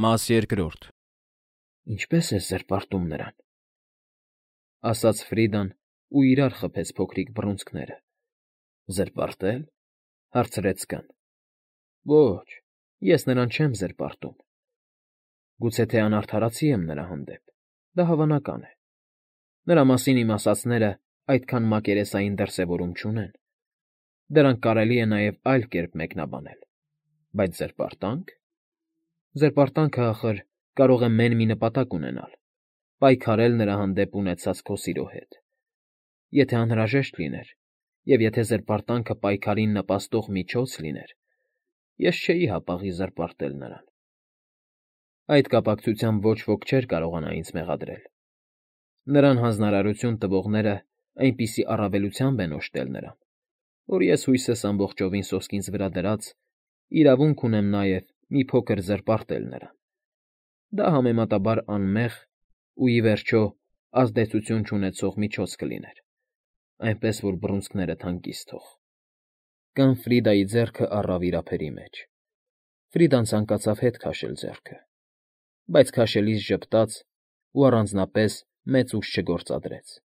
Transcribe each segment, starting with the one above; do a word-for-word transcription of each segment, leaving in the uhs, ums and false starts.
Մաս երկրորդ։ Ինչպե՞ս ես զրպարտում նրան,֊ ասաց Ֆրիդան ու իրար խփեց փոքրիկ բռունցքները։ ֊ Զրպարտե՞լ,֊ հարցրեց կան։ ֊ Ոչ, ես նրան չեմ զրպարտում։ Գուցե թե անարդարացի եմ նրա հանդեպ, դա հավանական է։ Նրա մասին իմ ասածներն այդքան մակերեսային դրսևորում չունեն։ Դրանք կարելի է նաև այլ կերպ մեկնաբանել։ Բայց զրպարտա՞նք։ Զրպարտանքը, ախր, կարող է մեն մի նպատակ ունենալ՝ պայքարել նրա հանդեպ ունեցած քո սիրո հետ։ Եթե անհրաժեշտ լիներ, և եթե զրպարտանքը պայքարին նպաստող միջոց լիներ, ես չէի հապաղի զրպարտել նրան։ Այդ կապակցությամբ ոչ ոք չէր կարողանա ինձ մեղադրել։ Նրան հանձնարարություն տվողները այնպիսի առավելությամբ են օժտել նրան, որ ես հույսս ամբողջովին սոսկինց վրա դրած, իրավունք ունեմ նաև մի փոքր զրպարտել նրան։ Դա համեմատաբար անմեղ ու, ի վերջո, ազդեցություն չունեցող միջոց կլիներ, այնպես որ բռունցքներդ հանգիստ թող։ Կան Ֆրիդայի ձեռքը առավ իր ափերի մեջ։ Ֆրիդան ցանկացավ հետ քաշել ձեռքը, բայց քաշելիս ժպտաց ու առանձնապես մեծ ուժ չգործադրեց։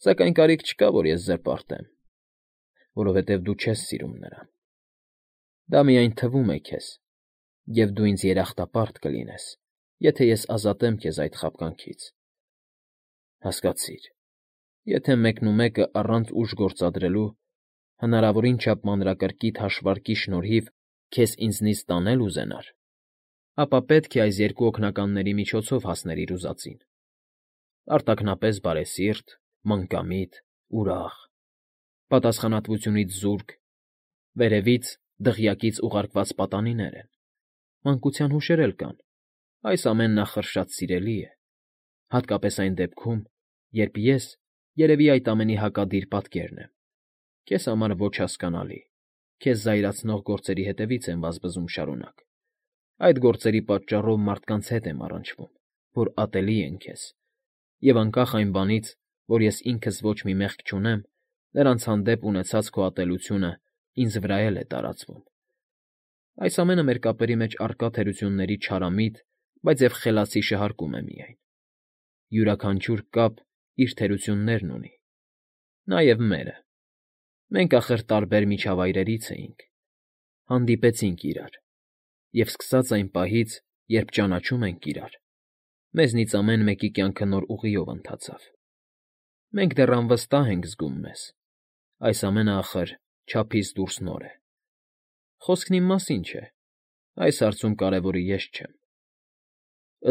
Սակայն կարիք չկա, որ ես զրպարտեմ, որովհետև դու չես սիրում նրան։ Դա միայն թվում է քեզ, և դու ինձ երախտապարտ կլինես, եթե ես ազատեմ քեզ այդ խաբկանքից։ Հասկացիր, եթե մեկնումեկը առանց ուժ գործադրելու հնարավորին չափ մանրակրկիտ հաշվարկի շնորհիվ քեզ ինձնից տանել ուզենար, ապա պետք է այս երկու օգնականների միջոցով հասնել իր ուզածին՝ արտաքնապես բարեսիրտ, մանկամիտ, ուրախ, պատասխանատվությունից զուրկ, վերևից դղյակից ուղարկված պատանիներ են, մանկության հուշեր էլ կան, այս ամենն, ախր, շատ սիրելի է, հատկապես այն դեպքում, երբ ես երևի այդ ամենի հակադիր պատկերն եմ, քեզ համար ոչ հասկանալի, քեզ զայրացնող գործերի հետևից եմ վազվզում շարունակ, այդ գործերի պատճառով մարդկանց հետ եմ առնչվում, որ ատելի են քեզ, և անկախ այն բանից, որ ես ինքս ոչ մի մեղք չունեմ, նրանց հանդեպ ունեցած քո ատելությունը ինձ վրա էլ է տարածվում։ Այս ամենը մեր կապերի մեջ առկա թերությունների չարամիտ, բայց և խելացի շահարկում է միայն։ Յուրաքանչյուր կապ իր թերություններն ունի, նաև մերը։ Մենք, ախր, տարբեր միջավայրերից էինք, հանդիպեցինք իրար, և սկսած այն պահից, երբ ճանաչում ենք իրար, մեզնից ամեն մեկի կյանքը նոր ուղիով ընթացավ։ Մենք դեռ անվստահ ենք զգում մեզ, այս ամենը, ախր, չափից դուրս նոր է։ Խոսքն իմ մասին չէ, այս հարցում կարևորը ես չեմ։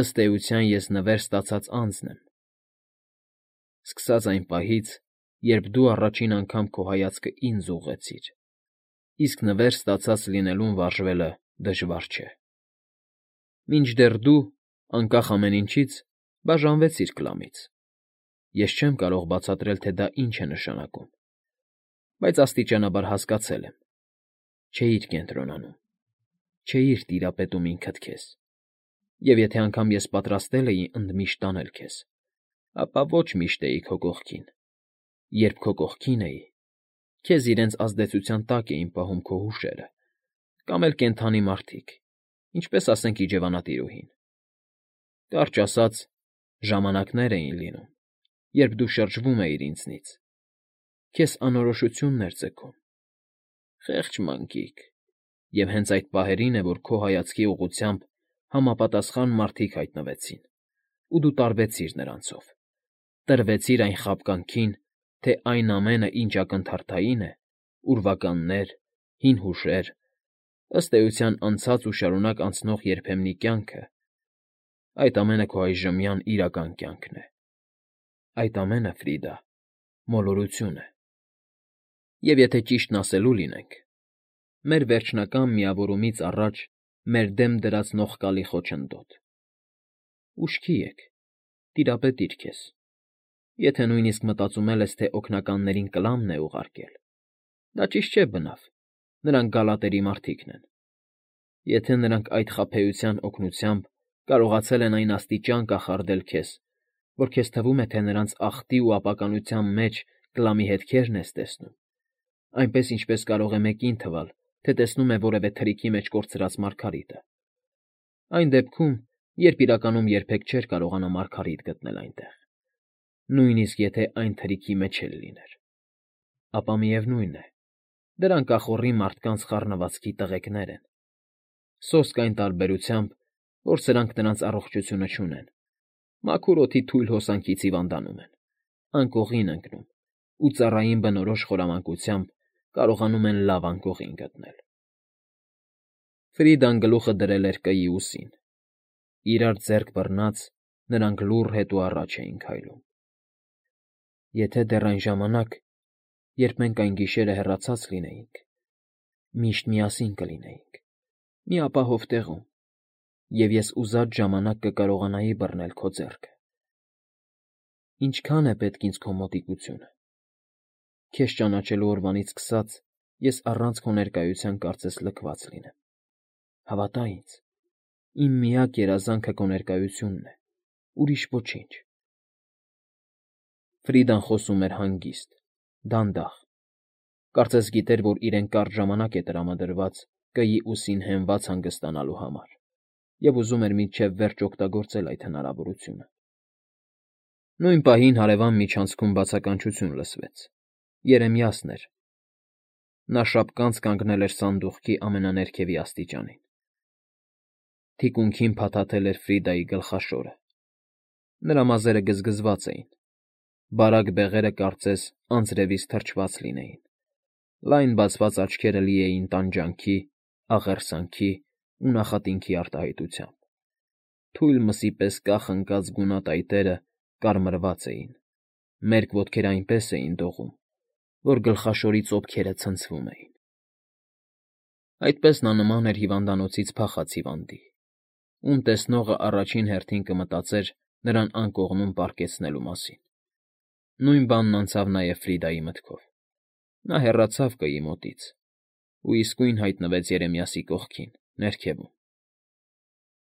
Ըստ էության, ես նվեր ստացած անձն եմ։ Սկսած այն պահից, երբ դու առաջին անգամ քո հայացքը ինձ ուղղեցիր, իսկ նվեր ստացած լինելուն վարժվելը դժվար չէ։ Մինչդեռ դու, անկախ ամեն ինչից, բաժանվեցիր Կլամից։ Ես չեմ կարող բացատրել, թե դա ինչ է նշանակում, բայց աստիճանաբար հասկացել եմ. չէիր կենտրոնանում, չէիր տիրապետում ինքդ քեզ, և եթե անգամ ես պատրաստել էի ընդմիշտ տանել քեզ, ապա ոչ միշտ էի քո կողքին։ Երբ քո կողքին էի, քեզ իրենց ազդեցության տակ էին պահում քո հուշերը, կամ էլ կենդանի մարդիկ, ինչպես, ասենք, իջևանատիրուհին։ Կարճ ասած, ժամանակներ էին լինում, երբ դու շրջվում էիր ինձնից, քեզ անորոշությունն էր ձգում։ Խեղճ մանկիկ, և հենց այդ պահերին է, որ քո հայացքի ուղղությամբ համապատասխան մարդիկ հայտնվեցին, ու դու տարվեցիր նրանցով, տրվեցիր այն խաբկանքին, թե այն ամենը, ինչ ակնթարթային է, ուրվականներ, հին հուշեր, ըստ էության անցած ու շարունակ անցնող երբեմնի կյանքը, այդ ամենը քո այժմյան իրական կյանքն է։ Այդ ամենը, Ֆրիդա, մոլորություն է։ Եվ եթե ճիշտն ասելու լինենք, մեր վերջնական միավորումից առաջ մեր դեմ դրած նողկալի խոչընդոտ։ Ուշքի եք, տիրապետիր քեզ։ Եթե նույնիսկ մտածում էլ ես, թե օգնականներին Կլամն է ուղարկել, դա ճիշտ չէ, բնավ, նրանք գալատերի մարդիկն են։ Եթե նրանք այդ խաբեության օգնությամբ կարողացել են այն աստիճան կախարդել քեզ, որ քեզ թվում է, թե նրանց ախտի ու ապականության մեջ Կլամի հետքերն ես տեսնում, այնպես, ինչպես կարող է մեկին թվալ, թե տեսնում է որևէ թրիքի մեջ կորցրած մարգարիտը, Այն դեպքում, երբ իրականում երբեք չէր կարողանա Մարգարիտ գտնել այնտեղ, նույնիսկ եթե այն թրիքի մեջ էլ լիներ, ապա միևնույն է, դրանք ախոռի մարդկանց խառնվածքի տղեկներ են, սոսկ այն տարբերությամբ, որ սրանք նրանց առողջությունը չունեն, մաքուր օդի թույլ հոսանքից հիվանդանում են, անկողին ընկնում ու ծառային բնորոշ խորամանկությամբ կարողանում են լավ անկողին գտնել։ Ֆրիդան գլուխը դրել էր կայի ուսին, իրար ձեռք բռնած, նրանք լուռ հետո առաջ էին քայլում։ Եթե դեռ այն ժամանակ, երբ մենք այն գիշերը հեռացած լինեինք, միշտ միասին կլինեինք, մի ապահով տեղում, և ես ուզած ժամանակ կկարողանայի բռնել քո ձեռքը։ Ինչքա՞ն է պետք ինձ քո մոտիկությունը։ Քեզ ճանաչելու օրվանից սկսած ես առանց քո ներկայության կարծես լքված լինեմ։ Հավատա ինձ, իմ միակ երազանքը քո ներկայությունն է, ուրիշ ոչինչ։ Ֆրիդան խոսում էր հանգիստ, դանդաղ, կարծես գիտեր, որ իրեն կարճ ժամանակ է տրամադրված կայի ուսին հենված հանգստանալու համար, և ուզում էր մինչև վերջ օգտագործել այդ հնարավորությունը։ Նույն պահին հարևան միջանցքում բացականչություն լսվեց։ Երեմիասն էր։ Նա շապկանց կանգնել էր սանդուղքի ամենաներքևի աստիճանին։ Թիկունքին փաթաթել էր Ֆրիդայի գլխաշորը։ Նրա մազերը գզգզված էին։ Բարակ բեղերը կարծես անձրևից թրջված լինեին։ Լայն բացված աչքերը լի էին տանջանքի, աղերսանքի ու նախատինքի արտահայտությամբ։ Թույլ մսի պես կախ ընկած գունատայտերը կարմրված էին, մերկ ոտքերը այնպես էին դողում, որ գլխաշորի ծոփքերը ցնցվում էին։ Այդպես նա նման էր հիվանդանոցից փախած հիվանդի, ում տեսնողը առաջին հերթին կմտածեր նրան անկողնում պառկեցնելու մասին։ Նույն բանն անցավ նաև Ֆրիդայի մտքով։ Նա հեռացավ կայի մոտից ու իսկույն հայտնվեց Երեմիասի կողքին, ներքևում։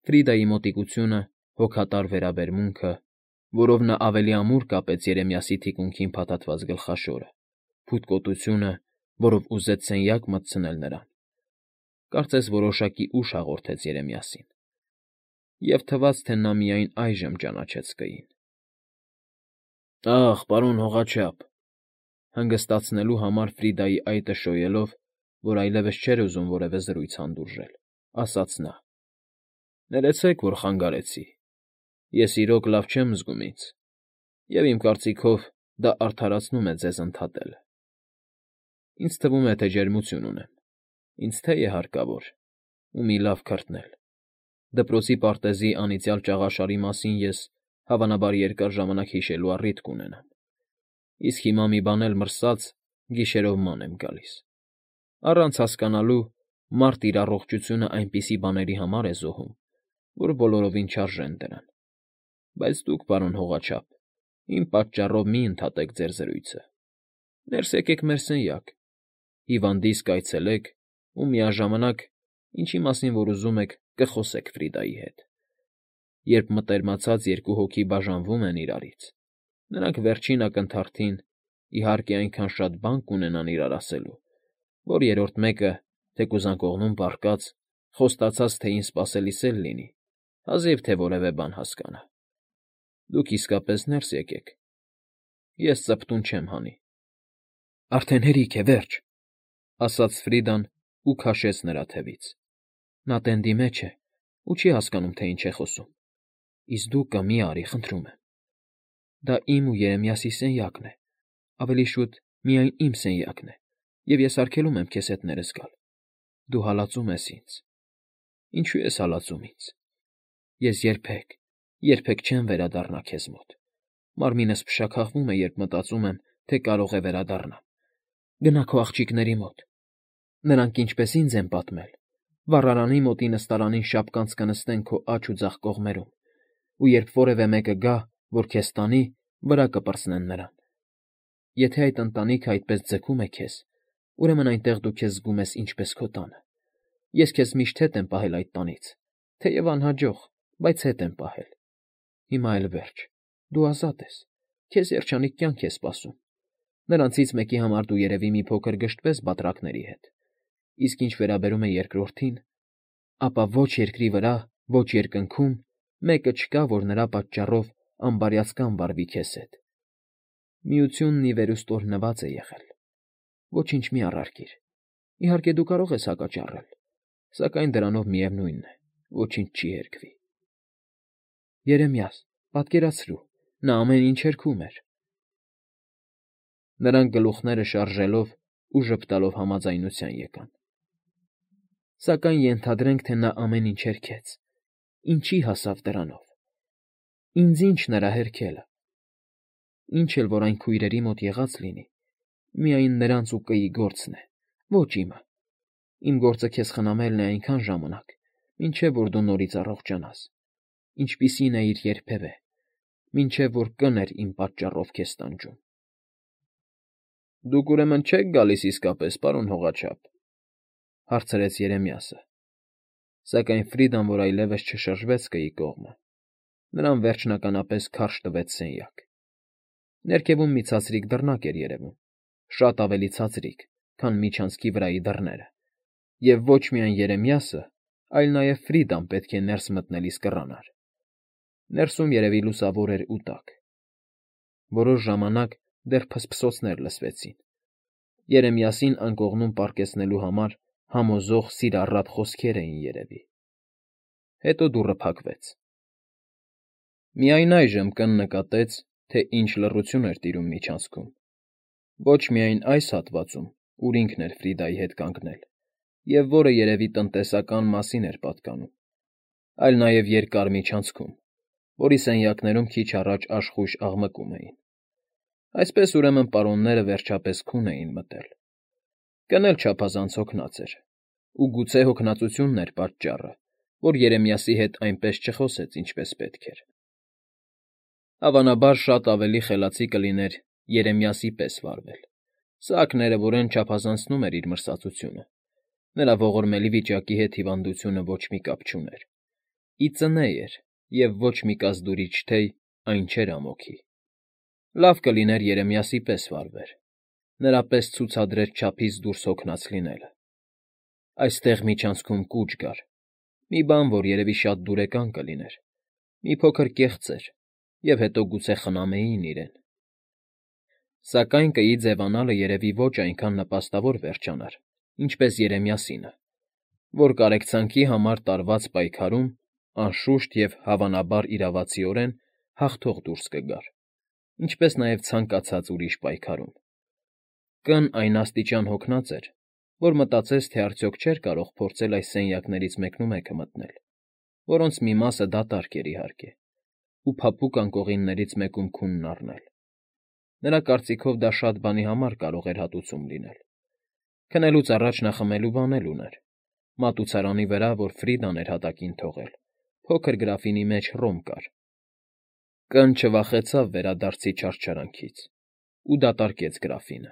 Ֆրիդայի մոտիկությունը, հոգատար վերաբերմունքը, որով նա ավելի ամուր կապեց Երեմիասի թիկունքին փաթաթված գլխաշորը, փութկոտությունը, որով ուզեց սենյակ մտցնել նրան, կարծես որոշակի ուժ հաղորդեց Երեմիասին, և թվաց, թե նա միայն այժմ ճանաչեց կային։ «Ախ, պարոն հողաչափ», հանգստացնելու համար Ֆրիդայի այտը շոյելով, որ այլևս չէր ուզում որևէ զրույց հանդուրժել, ասաց նա. «Ներեցեք, որ խանգարեցի, ես իրոք լավ չեմ զգում ինձ, և իմ կարծիքով դա արդարացնում է ձեզ ընդհատելը։ Ինձ թվում է, թե ջերմություն ունեմ, ինձ թե է հարկավոր, ու մի լավ քրտնել։ Դպրոցի պարտեզի անիծյալ ճաղաշարի մասին ես, հավանաբար, երկար ժամանակ հիշելու առիթ կունենամ, իսկ հիմա մի բան էլ մրսած գիշերով ման եմ գալիս։ Առանց հասկանալու, մարդ իր առողջությունը այնպիսի բաների համար է զոհում, որ բոլորովին չարժեն դրան։ Բայց դուք, պարոն հողաչափ, իմ պատճառով մի ընդհատեք ձեր զրույցը։ Ներս եկեք մեր սենյակ, հիվանդիս կայցելեք ու միաժամանակ, ինչի մասին որ ուզում եք, կխոսեք Ֆրիդայի հետ։ Երբ մտերմացած երկու հոգի բաժանվում են իրարից, նրանք վերջին ակնթարթին, իհարկե, այնքան շատ բան կունենան իրար ասելու, որ երրորդ մեկը, թեկուզ անկողնում պառկած, խոստացած թե ինձ սպասելիս էլ լինի, հազիվ թե որևէ բան հասկանա։ Դուք իսկապես ներս եկեք, ես ծպտուն չեմ հանի»։ «Արդեն հերիք է, վերջ», ասաց Ֆրիդան ու քաշեց նրա թևից։ «Նա տենդի մեջ է ու չի հասկանում, թե ինչ է խոսում։ Իսկ դու կա մի արի, խնդրում եմ։ Դա իմ ու Երեմիասի սենյակն է, ավելի շուտ միայն իմ սենյակն է, և ես արգելում եմ քեզ հետ ներս գալ։ Դու հալածում ես ինձ։ Ինչո՞ւ ես հալածում ինձ։ Ես երբեք, երբեք չեմ վերադառնա քեզ մոտ։ Մարմինս փշաքաղվում է, երբ մտածում եմ, թե կարող է վերադառնամ։ Գնա քո աղջիկների մոտ։ Նրանք ինչպես ինձ են պատմել, վառարանի մոտի նստարանին շապկանց կնստեն քո աջ ու ձախ կողմերում, ու երբ որևէ մեկը գա, որ քեզ տանի, վրա կպրծնեն նրան։ Եթե այդ ընտանիքը այդպես ձգում է քեզ, ուրեմն այնտեղ դու քեզ զգում ես ինչպես քո տանը։ Ես քեզ միշտ հետ եմ պահել այդ տանից, թեև անհաջող, բայց հետ եմ պահել։ Հիմա էլ վերջ, դու ազատ ես, քեզ երջանիկ կյանք է սպասում։ Նրանցից մեկի համար դու երևի մի փոքր գժտվես բատրակների հետ, իսկ ինչ վերաբերում է երկրորդին, ապա ոչ երկրի վրա, Ոչ երկնքում մեկը չկա, որ նրա պատճառով անբարյացկամ վարվի քեզ հետ։ Միությունն ի վերուստորնված է եղել։ Ոչինչ մի առարկիր։ Իհարկե դու կարող ես հակաճառել, սակայն դրանով միևնույնն է, ոչինչ չի հերկվի։ Երեմիաս, պատկերացրու, նա ամեն ինչ հերքում էր։ Նրանք գլուխները շարժելով ու ժպտալով համաձայնության եկան։ Սակայն ենթադրենք, թե նա ամեն ինչ հերքեց, ինչի հասավ դրանով։ Ինձ ինչ նրա հերքելը։ Ինչ էլ որ այն քույրերի մոտ եղած լինի, միայն նրանց ու կîի գործն է, ոչ իմը։ Իմ գործը քեզ խնամելն է այնքան ժամանակ, մինչև որ դու նորից առողջանաս, ինչպիսին էիր երբևէ, մինչև որ կն էր իմ պատճառով քեզ տանջում։ Դուք ուրեմն չեք գալիս իսկապես, պարոն հողաչափ, հարցրեց Երեմիասը, սակայն Ֆրիդան, որ այլևս չշրջվեց կîի կողմը, նրան վերջնականապես քարշ տվեց սենյակ։ Ներքևում մի ցածրիկ դռնակ էր երևում, շատ ավելի ցածրիկ, քան միջանցքի վրայի դռները, և ոչ միայն Երեմիասը, այլ նաև Ֆրիդան պետք է ներս մտնելիս կռանար։ Ներսում երևի լուսավոր էր ու տաք։ Որոշ ժամանակ դեռ փսփսոցներ լսվեցին։ Երեմիասին անկողնում պառկեցնելու համար համոզող սիրառատ խոսքեր էին երևի։ Հետո դուռը փակվեց։ Միայն այժմ կն նկատեց, թե ինչ լռություն էր տիրում միջանցքում։ Ոչ միայն այս հատվածում, ուր ինքն էր Ֆրիդայի հետ կանգնել, և որը երևի տնտեսական մասին էր պատկանում, այլ նաև երկար միջանցքում, որի սենյակներում քիչ առաջ աշխույժ աղմկում էին։ Այսպես ուրեմն պարոնները վերջապես քուն էին մտել։ Կն էլ չափազանց հոգնած էր, ու գուցե հոգնածությունն էր պատճառը, որ Երեմիասի հետ այնպես չխոսեց, ինչպես պետք էր։ Հավանաբար շատ ավելի խելացի կլիներ Երեմիասի պես վարվել։ Սա ակներևորեն չափազանցնում էր իր մրսածությունը։ Նրա ողորմելի վիճակի հետ հիվանդությունը ոչ մի կապ չուներ։ Ի ծնե էր, և ոչ մի կազդուրիչ թեյ այն չէր ամոքի։ Լավ կլիներ Երեմիասի պես վարվեր, նրա պես ցուցադրեր չափից դուրս հոգնած լինելը։ Այստեղ միջանցքում կուչ կար, մի բան, որ երևի շատ դուրեկան կլիներ, մի փոքր կեղծեր, և հետո գուցե խնամեին իրեն։ Սակայն կîի ձևանալը երևի ոչ այնքան նպաստավոր վերջանար, ինչպես Երեմիասինը, որ կարեկցանքի համար տարված պայքարում, անշուշտ և հավանաբար իրավացիորեն հաղթող դուրս կգար, ինչպես նաև ցանկացած ուրիշ պայքարում։ Կն այն աստիճան հոգնած էր, որ մտածեց, թե արդյոք չէր կարող փորձել այս սենյակներից մեկնումեկը մտնել, որոնց մի մասը դատարկ էր, իհարկե, ու փափուկ անկողիններից մեկում քունն առնել։ Նրա կարծիքով դա շատ բանի համար կարող էր հատուցում լինել։ Քնելուց առաջ նա խմելու բան էլ ուներ, մատուցարանի վրա, որ Ֆրիդան էր հատակին թողել, փոքր գրաֆինի մեջ ռոմ կար։ Կն չվախեցավ վերադարձի չարչարանքից ու դատարկեց գրաֆինը։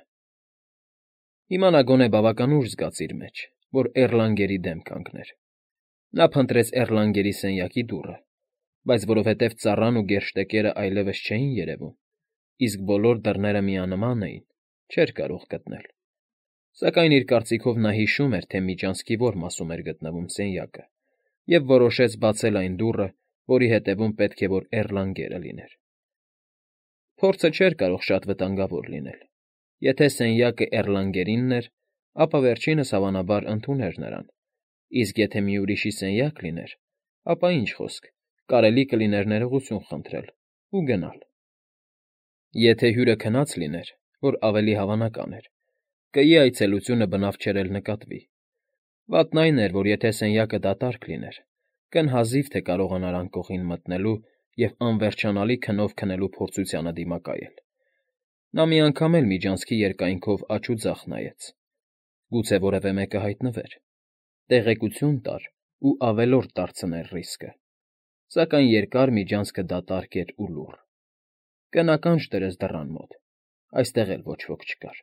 Հիմա նա գոնե բավական ուժ զգաց իր մեջ, որ Էռլանգերի դեմ կանգներ։ Նա փնտրեց Էռլանգերի սենյակի դուռը, բայց որովհետև ծառան ու գերշտեկերը այլևս չէին երևում, իսկ բոլոր դռները միանման էին, չէր կարող գտնել։ Սակայն իր կարծիքով նա հիշում էր, թե միջանցքի որ մասում էր գտնվում սենյակը, և որոշեց բացել այն դուռը, որի հետևում պետք է որ Էռլանգերը լիներ։ Փորձը չէր կարող շատ վտանգավոր լինել։ Եթե սենյակը Էռլանգերինն էր, ապա վերջինս հավանաբար ընդուներ նրան, իսկ եթե մի ուրիշի սենյակ լիներ, ապա ինչ խոսք, կարելի կլիներ ներողություն խնդրել ու գնալ։ Եթե հյուրը քնած լիներ, որ ավելի հավանական էր, կîի այցելությունը բնավ չէր էլ նկատվի։ Վատն այն էր, որ եթե սենյակը դատարկ լիներ, կն հազիվ թե կարողանար անկողին մտնելու և անվերջանալի քնով քնելու փորձությանը դիմակայել։ Նա մի անգամ էլ միջանցքի երկայնքով աջ ու ձախ նայեց։ Գուցե որևէ մեկը հայտնվեր, տեղեկություն տար ու ավելորդ դարձներ ռիսկը։ Սակայն երկար միջանցքը դատարկ էր ու լուռ։ Կն ականջ դրեց դռան մոտ, այստեղ էլ ոչ ոք չկար։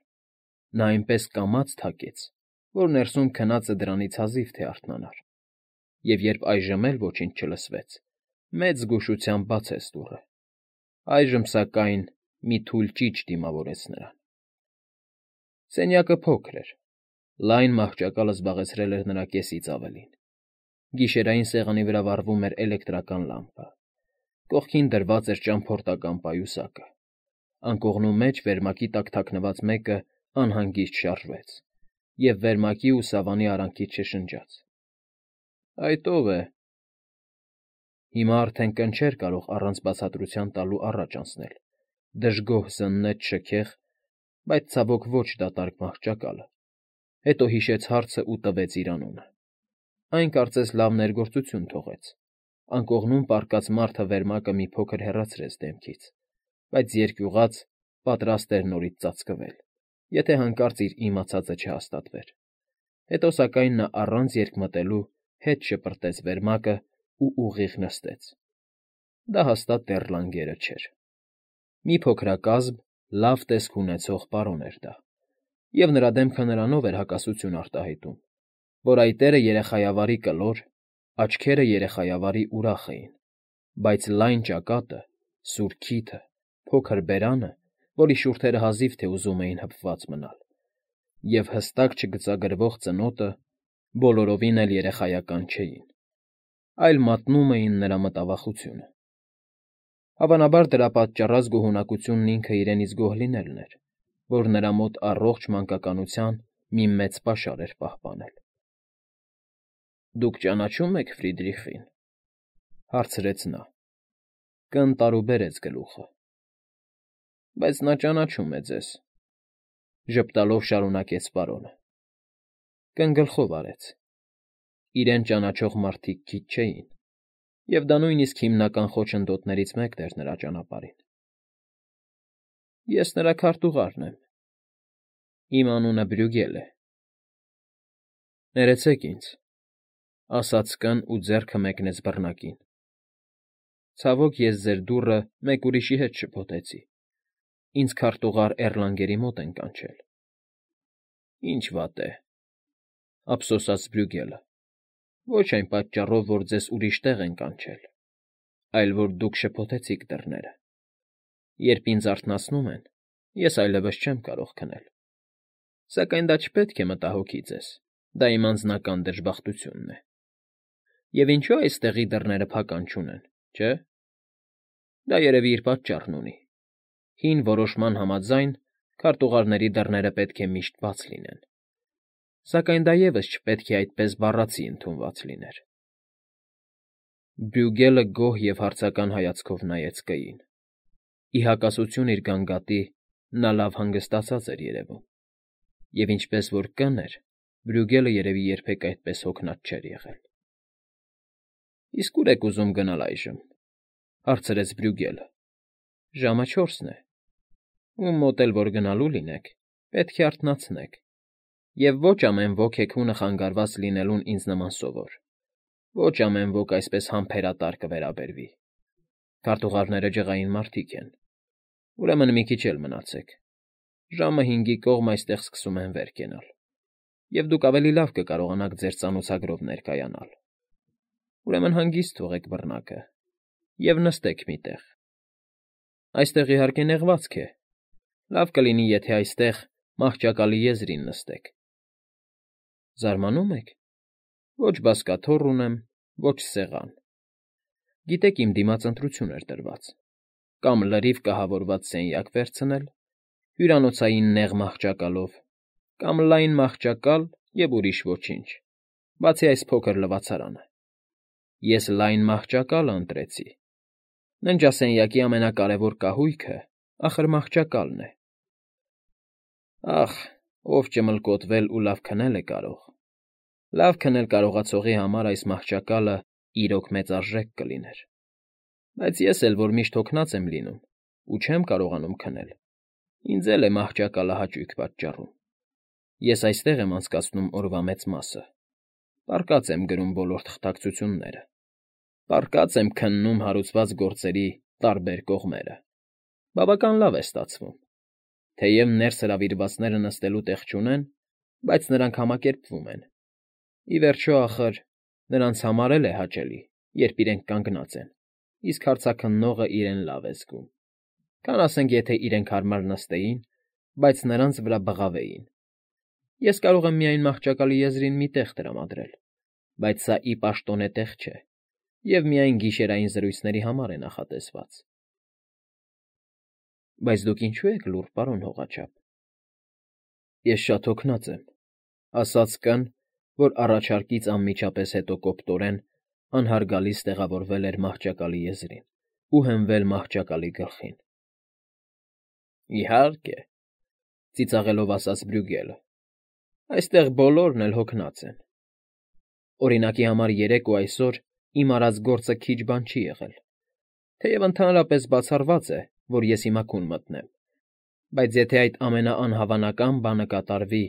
Նա այնպես կամաց թակեց, որ ներսում քնածը դրանից հազիվ թե արթնանար, և երբ այժմ էլ ոչինչ չլսվեց, մեծ զգուշությամբ բացեց դուռը։ Այժմ, սակայն, մի թույլ ճիչ դիմավորեց նրան։ Սենյակը փոքր էր, լայն մահճակալը զբաղեցրել էր նրա կեսից ավելին։ Գիշերային սեղանի վրա վառվում էր էլեկտրական լամպը։ Կողքին դրված էր ճամփորդական պայուսակը։ Անկողնու մեջ վերմակի տակ թաքնված մեկը անհանգիստ շարժվեց, և վերմակի ու սավանի արանքից շշնջաց. ֊ Այդ ո՞վ է։ Հիմա արդեն կն չէր կարող առանց բացատրության տալու առաջ անցնել, դժգոհ զննեց շքեղ, բայց ցավոք ոչ դատարկ մահճակալը, հետո հիշեց հարցն ու տվեց իր անունը։ Այն կարծես լավ ներգործություն թողեց. անկողնում պառկած մարդը վերմակը մի փոքր հեռացրեց դեմքից, բայց երկյուղած պատրաստ էր նորից ծածկվել, եթե հանկարծ իր իմացածը չհաստատվեր։ Հետո սակայն նա առանց երկմտելու հետ շպրտեց վերմակը ու ուղիղ նստեց։ Դա հաստատ դեռ լանգերը չէր։ Մի փոքրակազմ, լավ տեսք ունեցող պարոն էր դա, և նրա դեմքը նրանով էր հակասություն արտահայտում, որ այտերը երեխայավարի կլոր, աչքերը երեխայավարի ուրախ էին, բայց լայն ճակատը, սուր քիթը, փոքր բերանը, որի շուրթերը հազիվ թե ուզում էին հպված մնալ, և հստակ չգծագրվող ծնոտը բոլորովին էլ երեխայական չէին, այլ մատնում էին նրա մտավախությունը։ Հավանաբար դրա պատճառած գոհունակությունն ինքը իրենից գոհ լինելն էր, որ նրա մոտ առողջ մանկականության մի մեծ պաշար էր պահպանել։ ֊ Դուք ճանաչո՞ւմ եք Ֆրիդրիխին,֊ հարցրեց նա։ Կն տարուբերեց գլուխը։ ֊ Բայց նա ճանաչում է ձեզ,֊ ժպտալով շարունակեց պարոնը։ Կն գլխով արեց։ Իրեն ճանաչող մարդիկ քիչ չէին, և դա նույնիսկ հիմնական խոչընդոտներից մեկն էր նրա ճանապարհին։ ֊ Ես նրա քարտուղարն եմ։ Իմ անունը Բրյուգել է։ ֊ Ներեցեք ինձ,֊ ասաց կն ու ձեռքը մեկնեց բռնակին։ Ցավոք ես ձեր դուռը մեկ ուրիշի հետ շփոթեցի։ Ինձ քարտուղար Էռլանգերի մոտ են կանչել։ ֊ Ինչ վատ է,֊ ափսոսաց Բրյուգելը,֊ ոչ այն պատճառով, որ ձեզ ուրիշ տեղ են կանչել, այլ որ դուք շփոթեցիք դռները։ Երբ ինձ արթնացնում են, ես այլևս չեմ կարող քնել։ Սակայն դա չպետք է մտահոգի ձեզ, դա իմ անձնական դժբախտությունն է։ Եվ ինչո՞ւ այստեղի դռները փական չունեն, չէ՞։ Դա երևի իր պատճառն ունի։ Հին որոշման համաձայն քարտուղարների դռները պետք է միշտ բաց լինեն։ Սակայն դա ևս չպետք է այդպես բառացի ընդունված լիներ։ Բրյուգելը գոհ և հարցական հայացքով նայեց կգին։ Ի հակասություն իր գանգատի, նա լավ հանգստացած էր երևում, և ինչպես որ կն էր, Բրյուգելը երևի երբեք այդպես հոգնած չէր եղել։ ֊ Իսկ ո՞ւր եք ուզում գնալ այժմ,֊ հարցրեց Բրյուգելը։ ֊ Ժամը չորսն է։ Ում մոտ էլ որ գնալու լինեք, պետք է արթնացնեք, և ոչ ամեն ոք հեքիաթը խանգարված լինելուն ինձ նման սովոր, ոչ ամեն ոք այսպես համբերատար կվերաբերվի։ Քարտուղարները ջղային մարդիկ են։ Ուրեմն մի քիչ էլ մնացեք։ Ժամը հինգի կողմ այստեղ սկսում են վեր կենալ, և դուք ավելի լավ կկարողանաք ձեր ծանոցագրով ներկայանալ։ Ուրեմն հանգիստ թողեք բռնակը և նստեք մի տեղ։ Այստեղ, իհարկե, նեղվածք է։ Լավ կլինի, եթե այստեղ, մահճակալի եզրին նստեք։ Զարմանում եք։ Ոչ բազկաթոռ ունեմ, ոչ սեղան։ Գիտեք, իմ դիմաց ընտրություն էր տրված. կամ լրիվ կահավորված սենյակ վերցնել, հյուրանոցային նեղ մահճակալով, կամ լայն մահճակալ և ուրիշ ոչինչ, բացի այս փոքր լվացարանը։ Ես լայն մահճակալը ընտրեցի։ Ննջասենյակի ամենակարևոր կահույքը, ախր, մահճակալն է։ Ախ, ով ճմլկոտվել ու լավ քնել է կարող։ Լավ քնել կարողացողի համար այս մահճակալը իրոք մեծարժեք կլիներ։ Բայց ես էլ, որ միշտ հոգնած եմ լինում ու չեմ կարողանում քնել, ինձ էլ է մահճակալը հաճույք պատճառում։ Ես այստեղ եմ անցկացնում օրվա մեծ մասը, պառկած եմ գրում բոլոր թղթակցությունները, պառկած եմ քննում հարուցված գործերի տարբեր կողմերը։ Բավական լավ է ստացվում։ Թեև ներս հրավիրվածները նստելու տեղ չունեն, բայց նրանք համակերպվում են։ Ի վերջո, ախր, նրանց համար էլ է հաճելի, երբ իրենք կանգնած են, իսկ հարցաքննողը իրեն լավ է զգում, քան ասենք, եթե իրենք հարմար նստեին, բայց նրանց վրա բղավեին։ Ես կարող եմ միայն մահճակալի եզրին մի տեղ տրամադրել, Բայց սա ի պաշտոնե տեղ չէ և միայն գիշերային զրույցների համար է նախատեսված։ ֊ Բայց դուք ինչո՞ւ եք լուռ, պարոն հողաչափ։ ֊ Ես շատ հոգնած եմ,֊ ասաց կն, որ առաջարկից անմիջապես հետո կոպտորեն անհարգալից տեղավորվել էր մահճակալի եզրին ու հենվել մահճակալի գլխին։ ֊ Իհարկե,֊ ծիծաղելով ասաց Բրյուգելը,֊ այստեղ բոլորն էլ հոգնած են։ Օրինակի համար երեկ ու այսօր իմ արած գործը քիչ բան չի եղել, թեև ընդհանրապես բացառված է, որ ես հիմա քուն մտնեմ, բայց եթե այդ ամենաանհավանական բանը կատարվի,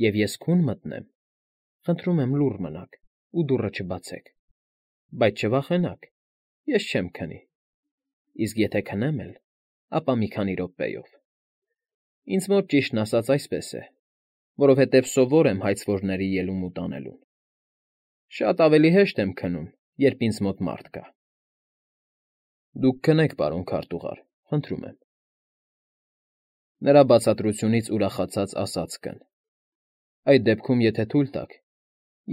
և ես քուն մտնեմ, խնդրում եմ լուռ մնաք ու դուռը չբացեք, բայց չվախենաք, ես չեմ քնի, իսկ եթե քնեմ էլ, ապա մի քանի րոպեով։ Ինձ մոտ, ճիշտն ասած, այսպես է, որովհետև սովոր եմ հայցվորների ելումուտ անելուն։ Շատ ավելի հեշտ եմ քնում, երբ ինձ մոտ մարդ կա։ ֊ Դուք քնեք, պարոն քարտուղար, խնդրում եմ,֊ նրա բացատրությունից ուրախացած ասաց կն,֊ այդ դեպքում, եթե թույլ տաք,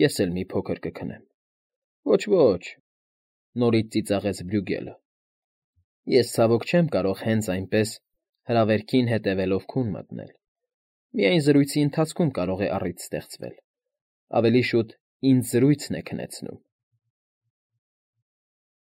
ես էլ մի փոքր կքնեմ։ ֊ Ոչ, ոչ,֊ նորից ծիծաղեց Բրյուգելը,֊ ես ցավոք չեմ կարող հենց այնպես, հրավերքին հետևելով քուն մտնել, միայն զրույցի ընթացքում կարող է առիթ ստեղծվել, ավելի շուտ ինձ զրույցն է քնեցնում։